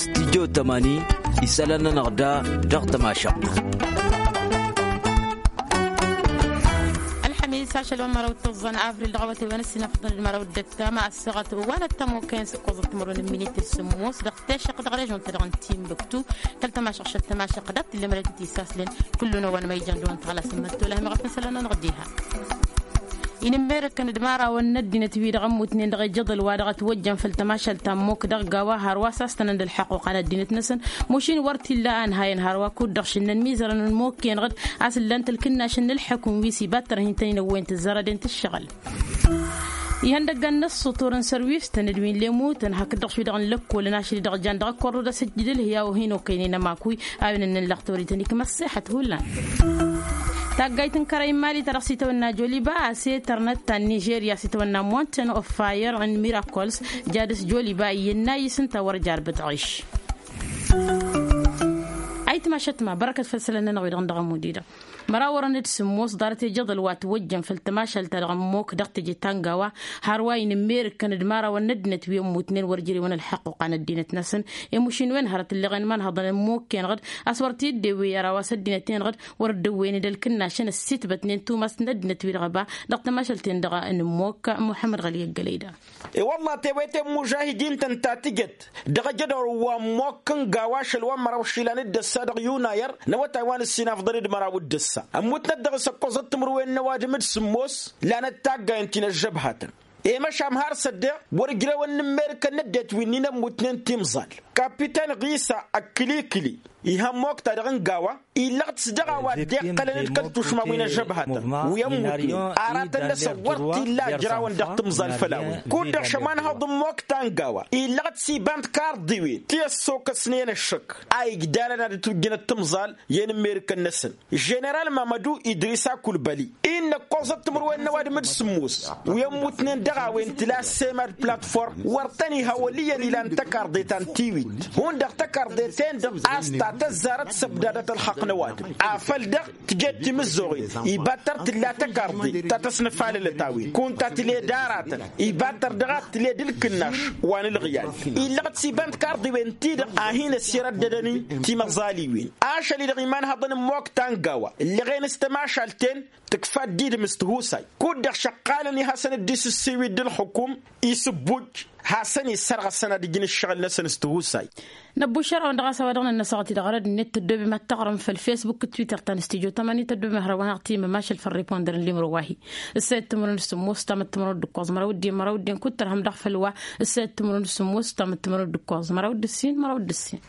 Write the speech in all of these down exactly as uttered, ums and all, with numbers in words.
Stijjo tămani isălan-nănăɣ da dăɣ-tămašăɣt. Ălxămis ašăl wa n-măraw d-tăẓẓan avril dăɣ-awătay wa n-ăssinăfḍăn d-măraw d-ăttama ăssaɣăt wa n-ăttămokăyăn s-ǝkkoẓăt timărwen n-minit s-sǝmmos dăɣ-tešăqq dăɣ-režon-ta-dăɣ n-timbuktu. Kăl-tămašăɣ šăl tămašăɣ dăɣ-t illa mălătăt isaslăn kullu n-ăwwăn ma ijan d-ăwwăn tăɣlasăn măttolăh meɣăf n-isălan-nănăɣ diha. Inǝmmerăkăn d-imărawăn n-ăddinăt-wi-dăɣ ămmutnen dăɣ-ejăḍăl wa dăɣ-ătwăjjăn făll-tămašalt ta n-mok dăɣ-gawa hărwa s-astănăn d-ălḥăqquqa n-ăddinăt-năsăn. Mušin wăr t-illa a ǝnhayăn hărwa kud-dăɣ šǝnnăn mizărăn n-mok-enăɣ-dd a-s ǝllan-t ălkǝnnašăn n-ǝlḥǝkǝm wi s-ibattărăhăn tăn-in-ăwwăyăn tǝzzarăden tǝššăɣǝl. Ihăndăggan n-ăṣṣutur n-sărwis-tăn d-wi n-lemutăn hakd-dăɣ šwi-dăɣ n-lăkkolăn ašăl-i-dăɣ jan dăɣ-ăkkorrud a-s ǝjjǝd ǝlhǝy a-wa hin-okăynen ămakuy a-wen ǝnnăn laɣ tawărit-tăn ikmăssexăt hullan. Taggayt n-kărăy n-imali ta dăɣ-s itawănna joliba a-s i-tărnăt ta n-nižerya a-s itawănna mountain of fire and miracles. Jadǝs joliba iyyăn n-ayǝs ǝnta wăr jar bǝtɣiš. Ayǝtma šătma bărăkăt făll-isălan-nănăɣ wi-dăɣ n-dăɣ-ămud-i-dăɣ. Mărawărăn d-sǝmmos ḍarăt ejăḍăl wa ătwăjjăn făll-tămašalt-ta-dăɣ n-mok dăɣ-teje ta n-gawa. Hărwa inǝmmerǝkkăn d-imărawăn n-ăddinăt wi ămmutnen wăr jere-wăn ălḥăqquqa n-ăddinăt-năsăn. I-mušin-wen hărăt ǝlleɣen imanhăḍăn n-mok-enăɣ-dd a-s wăr t-dd-ewwe i-ara wa s-ăddinăt-enăɣ-dd wăr dd-ăwwăyăn d-ălkǝnnašăn ăssitbătnen tumast n-ăddinăt-wi-dăɣ ăba dăɣ-tămašălt-en-dăɣ n-mok. Muḥămmăd ɣăli ăggălăy da. I-wălla tewăyte n-imužahidin-tăn ta tǝjăt dăɣ-ajădor wa n-mokk n-gawa ašăl wa n-măraw išilan d-ăssa dăɣ-yunayăr n-awătay wa n-ǝssin afḍăn d-măraw d-ăssa ămmutnăt dăɣ-s ăkkoẓăt timǝrwen n-ăwadǝm d-sǝmmos. Lanăt taggayăn ti n-ăžžăbhatăn i-măšan har s-ăddeɣ wăr ǝjrewăn n-ǝmmerǝkăn n-ăddinăt wi-nin ămmutnen timẓal. Kapiten ɣisa ăkkǝlikǝli iha n-mokk-ta-dăɣ n-gawa illăɣ-t s-dăɣ-a-wa dd-iqqălăn d-kăl-tušma wi n-ăžžăbhatăn wi ămmutnen aratăn-năsăn wăr t-illa ǝjrawăn dăɣ-timẓal făll-a-wen. Kud-dăɣ šămanhăḍ n-mokk ta n-gawa illăɣ-t s-iba n-tikarḍiwen ti ăssokăsnen ăššăk a igdalăn ad-ǝtwǝjjǝnăt timẓal i-inǝmmerǝkăn-năsăn. Ženeral mamădu idrisa kulbăli innă ǝkkoẓăt timǝrwen n-ăwadǝm d-sǝmmos wi ămmutnen dăɣ-a-wen tǝla s-emad platform wăr tăn-iha wăl' iyyăn ilan tăkarḍe ta n-tiwit hundăɣ tăkarḍe-ten-dăɣ a-s ta tăzzarăt s-ăbdadăt ălxaqq n-ăwadǝm afăl dăɣ-tǝjet timǝzzoɣen ibattăr tǝlla tăkarḍe ta tăsnăfalălăt a-wen kunta tǝled aratăn ibattăr dăɣ-a tǝled ǝlkǝnnaš wa n-ǝlɣǝyal. Illăɣ-t s-iba n-tikarḍiwen-ti-dăɣ a hin-ăssirăddădăn-in timăẓaliwen ašăl-i-dăɣ imanhăḍăn n-mokk ta n-gawa ǝllăɣen s-tămašalt-en tǝkfa dd-idǝm s-tihusay. Kud-dăɣ šăqqalăn i-hasăn-dd-isǝssiwǝy d-ǝlxǝkum isǝbbuj hasăn-issărɣăsăn ad-ǝjǝn ǝššăɣǝl-năsăn s-tihusay. Năbbuššărăwăn dăɣ-a-s a-wa dăɣ-nănnăsăɣăt-i-dăɣ arăd-net tăddoobem ad-taɣrǝm făll-facebook d-twitter ta n-stujo tămani tăddoobem ad-hărăwăn-aɣ timăm ašăl făll-riponder n-limro wa-hi. Ǝssayăt timǝrwen d-sǝmmos tamăt timǝrwen d-ǝkkoẓ măraw d-i măraw d-i n-kuttărhăm dăɣ-făll-wa. Ǝssayăt timǝrwen d-sǝmmos tamăt timǝrwen d-ǝkkoẓ măraw d-ǝssin măraw d-ǝssin.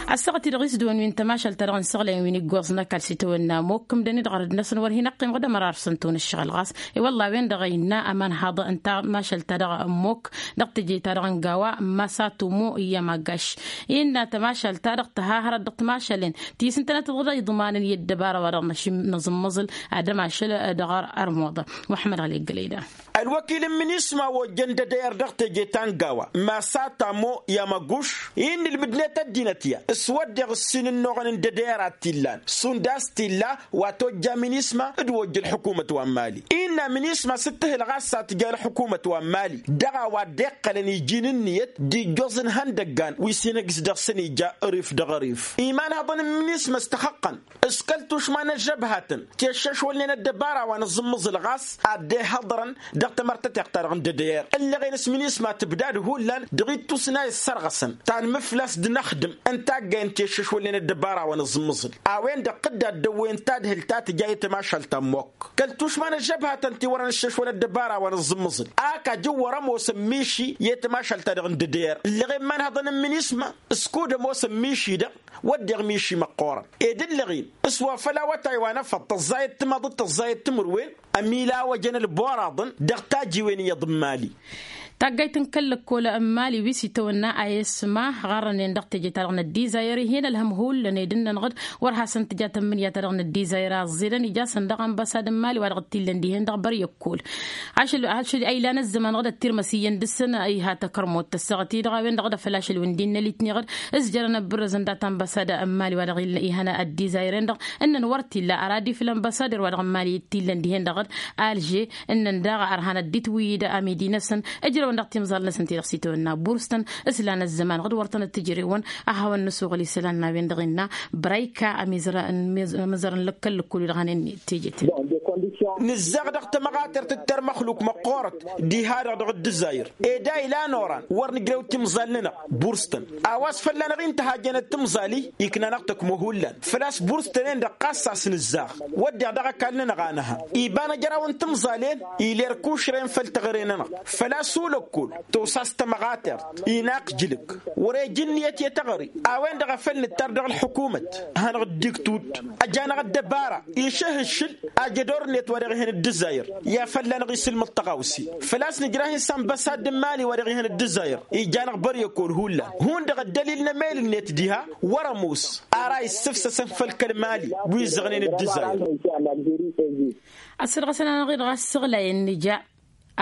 Ăssaɣăt-i-dăɣ isdǝwăn wi n-tămašalt-ta-dăɣ n-isăɣlăyăn wi n-iggoẓ n-ăkall s-itawănna mokk ǝmdăn-i-dăɣ arăd-năsăn wăr hin-ăqqimăɣ d-ămăra arfsăn-tăwăn ǝššăɣǝl ɣas. I-wălla a-wen-dăɣ a innă ămanhaḍ n-tămašalt-ta-dăɣ n-mokk dăɣ-teje-ta-dăɣ n-gawa n-masa tumo i-amagaš. Innă tămašalt-ta-dăɣ tǝha hărăt dăɣ-timašalen ti s-ǝntănăt dăɣ-iḍmanăn i-ăddăbara wa dăɣ-năžǝmmăẓǝl ad-ămašăl dăɣ-armuḍa. Muḥămmăd ɣăli ăggălăy da. Ălwăkil n-minisma wa ojjăn d-edăyăr dăɣ-teje ta n-gawa masa tamo i-amăguš innă ǝlmǝdnet ăddinăt ya s-wădden ǝssin ǝnnuɣăn n-edăyăr a t-illan šund a-s t-illa wa tojja minisma d-wa ojja ălḥukumăt wa n-mali. Innă minisma s-dd-tǝhǝl ɣas s-ad-tǝja ălḥukumăt wa n-mali dăɣ-a-wa dd-iqqălăn iji n-ǝnniyăt d-ijjoẓ n-ihăndăggan wi s-hin-ăggs dăɣ-săn ija ărif dăɣ-ărif. Imanhăḍăn n-minisma s-tăxăqqăn s-kăl-tušma n-ăžžăbhatăn ti ăššăšwălnen ăddăbara wa n-aẓǝmmǝẓǝl ɣas ad-dd-ihăḍrăn dăɣ-tamărtăteɣt-ta-dăɣ n-dd-edăyăr. Ǝllăɣen s-minisma tǝbdad hullan dăɣ-ittus n-a issărɣăsăn ta n-imǝflas d-inăxdǝm n-taggay n-ti ăššăšwălnen ăddăbara wa n-aẓǝmmǝẓǝl. A-wen-dăɣ tǝddad dăwwăyăn tadhǝlt ta tǝja i-tămašalt ta n-mokk kăl-tušma n-ăžžăbhatăn ti wărăn ǝššăšwăn ăddăbara wa n-aẓǝmmǝẓǝl. Ak ajǝwwăr ămoosăn miši i-tămašalt-ta-dăɣ n-dd-edăyăr ǝllăɣen imanhăḍăn n-minisma s-kud ămoosăn miši-dăɣ wădden miši măqqoorăn ed ǝllăɣen s-wa făll-awătay wa n-efăḍ tăẓẓayăt timaḍ d-tăẓẓayăt timǝrwen ămilawăjăn ălboraḍăn dăɣ-tajiwen iyyăḍ n-imali. Taggayt n-kăl-lăkkol n-imali wi s-itawănna a isma ɣarrănen dăɣ-teje-ta-dăɣ n-ăddizayăr ih'-en ălhăm hullan ed ǝnnănăɣ-dd wăr hasăn-tǝja tămmǝnǝya-ta-dăɣ n-ăddizayăr a ăẓẓedăn ija-săn daɣ ănbăsad n-imali wa dăɣ-t-illăn dihen-dăɣ băr i-ăkkol. Ašăl ašăl a ilan ăzzăman dăɣ-dd-tirmăs iyyăn dăɣ-săn iha takărmot tăssaɣăt-i-dăɣ a-wen-dăɣ d-afăl ašăl wi n-dd-innă litni-dăɣ dd-ǝzjărăn ăbbărrăzăn dat-ănbăsad n-imali wa dăɣ-ihăn ăddizayăr-en-dăɣ ǝnnăn wăr t-illa ăradi făll-ănbăsader wa dăɣ-n imali t-illăn dihen-dăɣ d-alže ǝnnăn daɣ ărhanăt d-itwǝyyǝd amidi-năsăn. Ǝjrăw Dăɣ-timẓal-năsăn ti-dăɣ s-itawănna burstăn s-lan ăzzăman ɣǝd wăr tăn-dd-tǝjrewăn. Ad-hawăn-nǝsuɣǝl isălan n-a-wen-dăɣ innă brăyka. Amizărăn lăkkăl lăkkul-wi-dăɣ hanen teje-ten. Nǝzzaɣ dăɣ-tămăɣatert d-termăxluk măqqoorăt diha-dăɣ dăɣ-dd-ǝzzayǝr. Ed a ilan oran wăr nǝjrew timẓal-nănăɣ burstăn. A-wa s-fălla-năɣ-i n-tăhajjănăt timẓal-i ikna-năɣ tăkmo hullan făl-a-s burstăn-en-dăɣ ɣas a-s nǝzzaɣ. Wădden dăɣ-ăkall-nănăɣ a nǝha iba n-ejăraw n-timẓal-en. Iler kušre n-făll-teɣăre-nănăɣ făl-a-s ulăkkol tosa s-tămăɣatert inaqjǝlǝk wăr-ej ǝnniyăt i-teɣăre. A-wen-dăɣ a făl nǝttar dăɣ-ălḥukumăt hanăɣ-dd-iktud ăj'-anăɣ ăddăbara išǝhǝššǝl ajădor-net wa dăɣ-ihăn dd-ǝzzayăr. I-afălla-năɣ isǝlmǝḍ tăɣawse făl-a-s nǝjrah-in s-anbăsad n-imali wa dăɣ-ihăn dd-ǝzzayăr ija-năɣ băryăkol hullan. Hundăɣ ăddălil n-emel-net diha wăr-ămoos ara issǝfsăsăn făll-kăl-imali wi ǝzzăɣnen dd-ǝzzayăr. Ăssădăɣăsăn-anăɣ-i-dăɣ a ăssăɣlayăn nǝja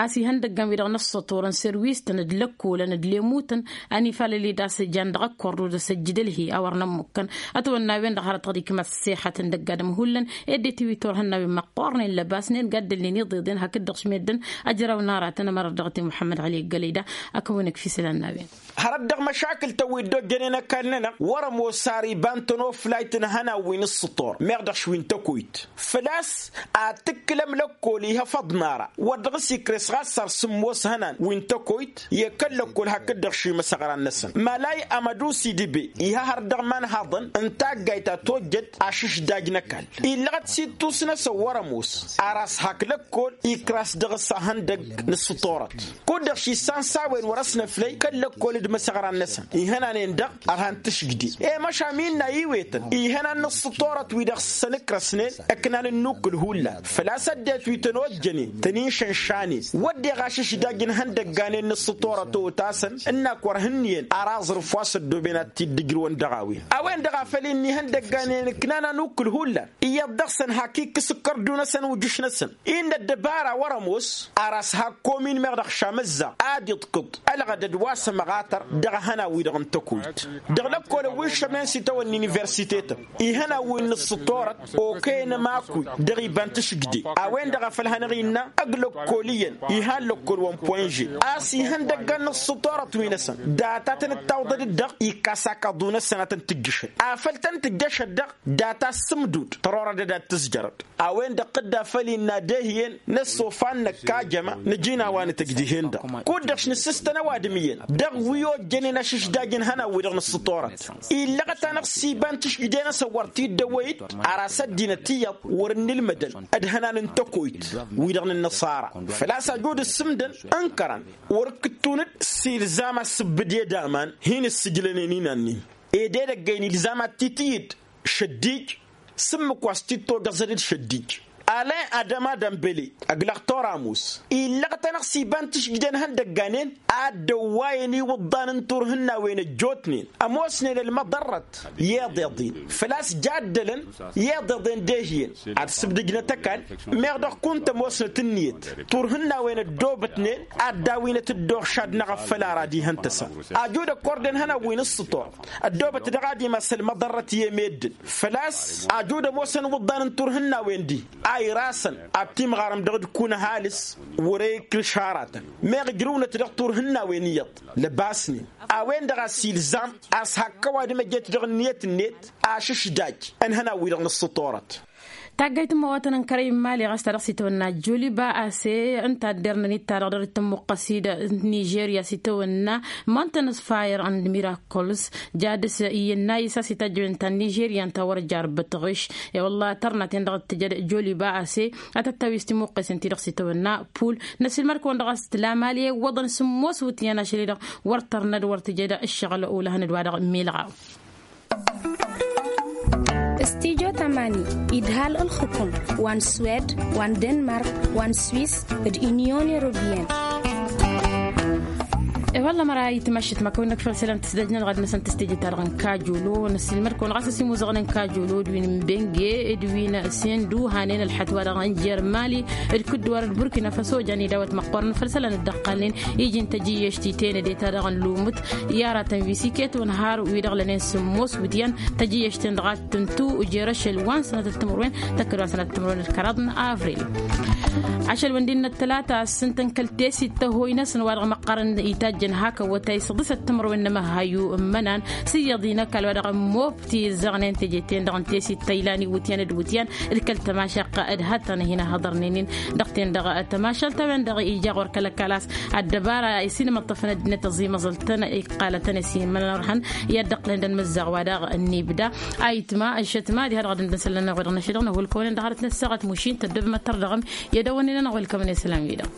a-s ihăndăggăn-wi-dăɣ n-ǝssǝṭurăn serwistăn d-lăkkolăn d-lemutăn. Ănifalăl-i d-a-s jan dăɣ-ăkkordu d-asăjjǝd ălhi a wăr nămmukkăn ătwănna a-wen-dăɣ hărăt dăɣ-dd-ikmăt ăṣṣixăt n-dăgg-adǝm hullan. Ed dd-tiwit turhăn n-a-wen măqqoornen lăbasnen gaddălnen iḍeḍen hakd-dăɣ šmeddǝn. Ăjraw n-aratăn ămărăt dăɣ-t i-muḥămmăd ăli ăggălăy da. Ăkăwăn-ǝkf isălan n-a-wen. Hărăt dăɣ-măšakǝl-tăn wi dd-ojjănen ăkall-nănăɣ wăr-ămoos ar iba n-tănoflayt n-ihănan wi n-ǝssǝṭṭor meɣ dăɣ-š wi n-tăkoyt. Făl-a-s ad-tǝkkǝlăm lăkkol ihăfăḍ n-ara wăr dăɣ-s ikres ɣas ar sǝmmos ihănan wi n-tăkoyt i-kăl-lăkkol hakd-dăɣ šimăsăɣran-năsăn malay amădusi d-ibe. Iha hărăt dăɣ-imanhaḍăn n-taggayt a tojjăt ašǝšdaj n-ăkall illăɣăt s-ittus-năsăn wăr-ămoos ar a-s hak lăkkol ikras dăɣ-s ahăndăgg n-ǝssǝṭṭorăt. Kud-dăɣ šissan s-a-wen wăr-ăsnăflăy kăl-lăkkol d-imăsăɣran-năsăn ihănanen-dăɣ ărhan tǝšjǝde. I-măšan innă iwetăn ihănan n-ǝssǝṭṭorăt wi dăɣ-săn ǝkrăsnen ǝknan ǝnnukkǝl hullan făl-a-s ăddinăt wi tăn-ojjănen tăn-inšănšanen wădden ašǝšdaj n-ihăndăgganen n-ǝssǝṭṭorăt otasăn ǝnn-ak wăr hǝnnǝyăn ar aẓrǝf wa s-ăddooben ad-t-dd-ǝjrǝwăn dăɣ-a-wen. A-wen-dăɣ a făl-i n-ihăndăgganen ǝknan anukkǝl hullan iyyăḍ dăɣ-săn hak ikkǝs ǝkkărdu-năsăn ujǝš-năsăn. Innă ăddăbara wăr-ămoos ar a-s hak komin meɣ dăɣ-šamăzza ad-iḍkǝḍ ălɣădăd wa s-ămăɣatăr dăɣ-ehănan-wi-dăɣ n-tăkoyt dăɣ-lăkkolăn wi ǝššărnen s-itawănna universitetăn ihănan wi n-ǝssǝṭṭorăt okăyăn ămakuy dăɣ-iba n-tǝšǝgde. A-wen-dăɣ a făl hanăɣ-innă ăgg lăkkol iyyăn iha n-lăkkol wa n-poinže a-s ihăndăggan n-ǝssǝṭṭorăt-wi-năsăn data tăn-dd-tawḍăd-dd-dăɣ ikkas akaḍu-năsăn a tăn-tǝjjǝšăd afăl tăn-tǝjjăšăd-dăɣ data s-sǝmdud tărorădăd ad-tǝzjărăd. A-wen-dăɣ tǝdda făll-innă ad-ehǝyăn n-ăssofan năkk ajăma nǝjǝn a-wa nǝtăj dihen-dăɣ kud-dăɣ š-nǝssǝstăn ăwadǝm iyyăn dăɣ-wi ojjănen ašǝšdaj n-ihănan-wi-dăɣ n-ǝssǝṭṭorăt. Illăɣăt-anăɣ s-iba n-tǝšǝjde-năsăn wăr t-dd-ăwwăy-dd ar a-s ăddinăt iyyăḍ wăr-ǝnnǝlmădăn d-ihănan n-tăkoyt-wi-dăɣ n-ǝnnăṣara. Făl-a-s ajud ǝssǝmdăn ǝnkărăn wăr-ǝkkǝttun-dd s-ilzam ad-sǝbbǝd i-ed aman hin-ǝssǝjlănen inan-in. Ed edăgg-en ilzam ad-t-itǝyǝd šăddij s-ǝmmǝk wa s-t-dd-tojăẓăd d-šăddij. Alăy adămadăn băle ăglăɣ toramus illăɣăt-anăɣ s-iba n-tǝšjǝjden ihăndăgganen ad-dd-ăwwayăn iwǝḍḍan n-turhǝnnawen ăjjootnen ămoosnen ălmăḍărrăt i-iḍeḍen. Făl-a-s jaddălăn i-iḍeḍen d-ehǝyăn ad-sǝbdǝjnăt ăkall meɣ dăɣ-kunt ămoosnăt ǝnniyăt turhǝnnawen ăddoobătnen ad-dd-awǝynăt dd-oɣšad n-aɣăffăl ara d-ihăn tăsa. Ajud ăkkorden ihănan wi n-ǝssǝṭor ăddoobăt dăɣ-ad-imas ălmăḍărrăt i-emeddǝn. Făl-a-s ajud ămoosăn iwǝḍḍan n-turhǝnnawen-di a irasăn ad-timɣarăm dăɣ-dd-kun ăhalǝs wăr-e-ikrǝš aratăn meɣ ǝjrǝwnăt dăɣ-turhǝnnawen iyyăḍ. Lăbasnen a-wen-dăɣ a-s ilzam a-s hak ăwadǝm ăjet dăɣ-ǝnniyăt-net ašǝšdaj n-ihănan-wi-dăɣ n-ǝssǝṭorăt. Taggayt n-imăwatăn n-kărăy n-imali ɣas ta dăɣ-s itawănna joliba ase ǝnta a dd-irnăn-dd ta-dăɣ dăr-tǝmmuqqăs-dd nižerya s-itawănna mountains fire and miracles. Jadǝs iyyăn n-ayǝs a-s itajjăwen ta n-nižerya ǝnta wăr-jar bătăɣiš. I-wălla tărnaten dăɣ-tǝjăd joliba ase a tăt-tăwis timuqqesen-ti-dăɣ s-itawănna pul. Năsilmăd-kăwăn dăɣ-a-s tǝla mali iwwăḍăn sǝmmos wǝtyan ašăl-i-dăɣ wăr tărnăd wăr tǝjăd ǝššăɣǝl ulăhăn d-wa-dăɣ milɣaw. Stijo tamani idhal ǝlxǝkum wa n-swed wa n-denmark wa n-swis d-inyon europeyăn. I-wălla măra itmăššăt ma kăwăn-năkfăɣ isălan tǝsdăjnăn ɣad-năsăn tǝstejăt-ta-dăɣ n-kajolo năssilmăd-kăwăn ɣas ăsimuzăɣnen kajolo d-win n-benge d-win sendu hanen ălxătwa-dăɣ n-jer-mali d-kǝddǝwar d-burkina faso jan idawăt măqqoorăn făll-isălan dd-ăqqalnen iji n-tăjjǝyyăšt itenăde-ta-dăɣ n-lumǝt i-aratăn wi s-iket unhar wi-dăɣ lănen sǝmmos wǝtyan tăjjǝyyăšt-ten-dăɣ ad-tǝntu jer-ašăl wa n-sănătăt timǝrwen tăkkăd wa n-sănătăt timǝrwen d-kăraḍ n-avril. Ašăl-wen d-innă ăttălata a-s s-ǝntăn kăl-tesit tăhoy-năsăn wa dăɣ-măqqărăn itajjăn hak ăwwătay s-ăḍisăt timǝrwen n-emăhhayu n-imănan s-iyyăḍ-i n-ăkall wa dăɣ-ămmob ti ǝzzăɣnen teje-ten-dăɣ n-tesit ta ilan iwǝtyan d-iwǝtyan d-kăl-tămašaqqa d-hăttan hin-ahăḍărnen-in dăɣ-ten-dăɣ tămašalt a-wen-dăɣ ija ɣur-kăl-ăkall a-s ăddăbara i-s-inmăṭṭăfăn ăddinăt ăẓimăẓăl-tăn iqqalătăn i-s-imănărhăn i-ad-dd-ăqqǝlăn d-anmǝzzaɣ wa daɣ n-ibda. Ayǝtma ăššătma diha dăɣ-ad-dd-nǝsălăn ănăɣ-wi-dăɣ n-ašăl dăɣ-năhulkăwăn-in dăɣ-arăt n-ăssaɣăt mušin tăddobăm ăttăr dăɣ-ămm i-ad-ăwwănnen ănăɣ-wi-dăɣ.